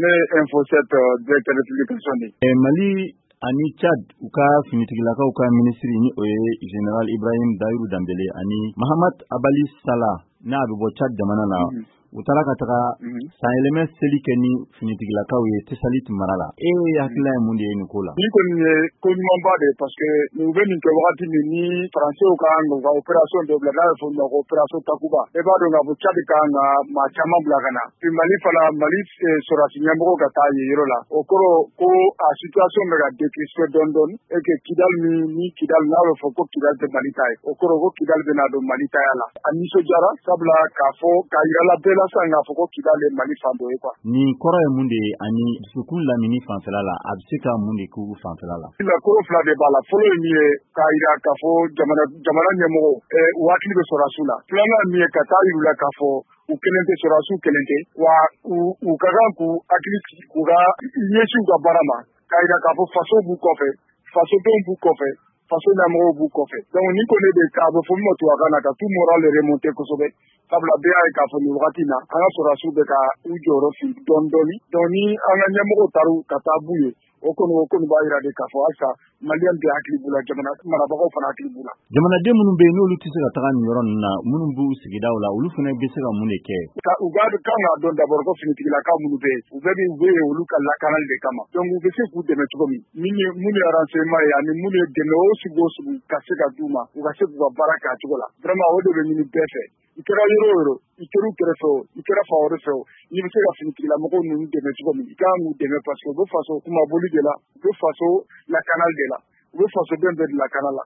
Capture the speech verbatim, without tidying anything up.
Ne ye Info sept directeur de publication de ye. Mali ani Tchad, u ka finitigilakaw ka minisiri, ni o ye général Ibrahim Dayiru Danbele ani Mahamad Abali Sala, n'a bɛ bɔ Tchad jamana na, u taara ka taga sanyɛlɛmɛ seli kɛ ni finitigilakaw ye Tesalit mara la. E hakilina ye mun de ye nin ko la? Nin kɔni ye ko ɲumanba de ye, parce que u bɛ nin kɛ wagati min ni Faransɛw ka kan ka opération dɔ bila, n'a bɛ fɔ o ma ko opération Takuba. E b'a dɔn k'a fɔ Tchad ka kan ka maa caman bila ka na. Puis Mali fana, Mali sɔrɔdasi ɲɛmɔgɔ ka taa yen yɔrɔ la, o kɔrɔ ko a situation bɛ ka décrisper dɔɔni dɔɔni et que Kidal min ni Kidal n'a bɛ fɔ ko Kidal tɛ Mali ta ye, o kɔrɔ ko Kidal bɛna don Mali taya la. A nisɔndiyara, sabula k'a fɔ k'a yira la bɛɛ la sisan k'a fɔ ko Kidal ye Mali fan dɔ ye quoi. Nin kɔrɔ ye mun de ye ani dusukun lamini fanfɛla la, a bɛ se ka mun de k'u fanfɛla la? Koro fila de b'a la. Fɔlɔ ye min ye, k'a yira k'a fɔ jamana jamana ɲɛmɔgɔ u hakili bɛ sɔrɔdasiw la. Filanan ye min ye, ka taa yir'u la k'a fɔ u kelen tɛ, sɔrɔdasiw kelen tɛ, wa u u ka kan k'u hakili sigi, k'u ka ɲɛsin u ka baara ma, k'a yira k'a fɔ faso b'u kɔfɛ, fasodenw b'u kɔfɛ, faso ɲɛmɔgɔw b'u kɔfɛ. Donc nin kɔni de a bɛ fɔ min ma tubabukan na ka tout moral remonter kosɛbɛ, sabula bɛɛ y'a ye k'a fɔ nin wagati in na, an ka sɔrɔdasiw bɛ ka u jɔyɔrɔ fin dɔɔni dɔɔni. Donc ni an ka ɲɛmɔgɔw taara ka taa b'u ye, o kɔni o kɔni b'a yira de k'a fɔ halisa maliyɛn bɛɛ hakili b'u la, jamana marabagaw fana hakili b'u la. Jamanaden minnu bɛ yen, n'olu tɛ se ka taga nin yɔrɔ ninnu na, minnu b'u sigidaw la, olu fana bɛ se ka mun de kɛ? U ka kan k'a dɔn d'abord ko finitigilakaw minnu bɛ yen, u bɛɛ bɛ u bɛ yen olu ka lakanali de kama. Donc u bɛ se k'u dɛmɛ cogo min, min ye mun ye renseignement ye ani mun ye dɛmɛ o sugu o sugu ka se ka d'u ma, u ka se k'u ka baara kɛ a cogo la. Vraiment, o de bɛ ɲini bɛɛ fɛ. I kɛra yɔrɔ o yɔrɔ, i kɛra u kɛrɛfɛ o, i kɛra fan wɛrɛ fɛ o, n'i bɛ se ka finitigilamɔgɔw ninnu dɛmɛ cogo min, i kan k'u dɛmɛ, parce que u bɛ faso kumaboli de la, u bɛ faso lakanali de la, u bɛ fasoden bɛɛ de lakana la.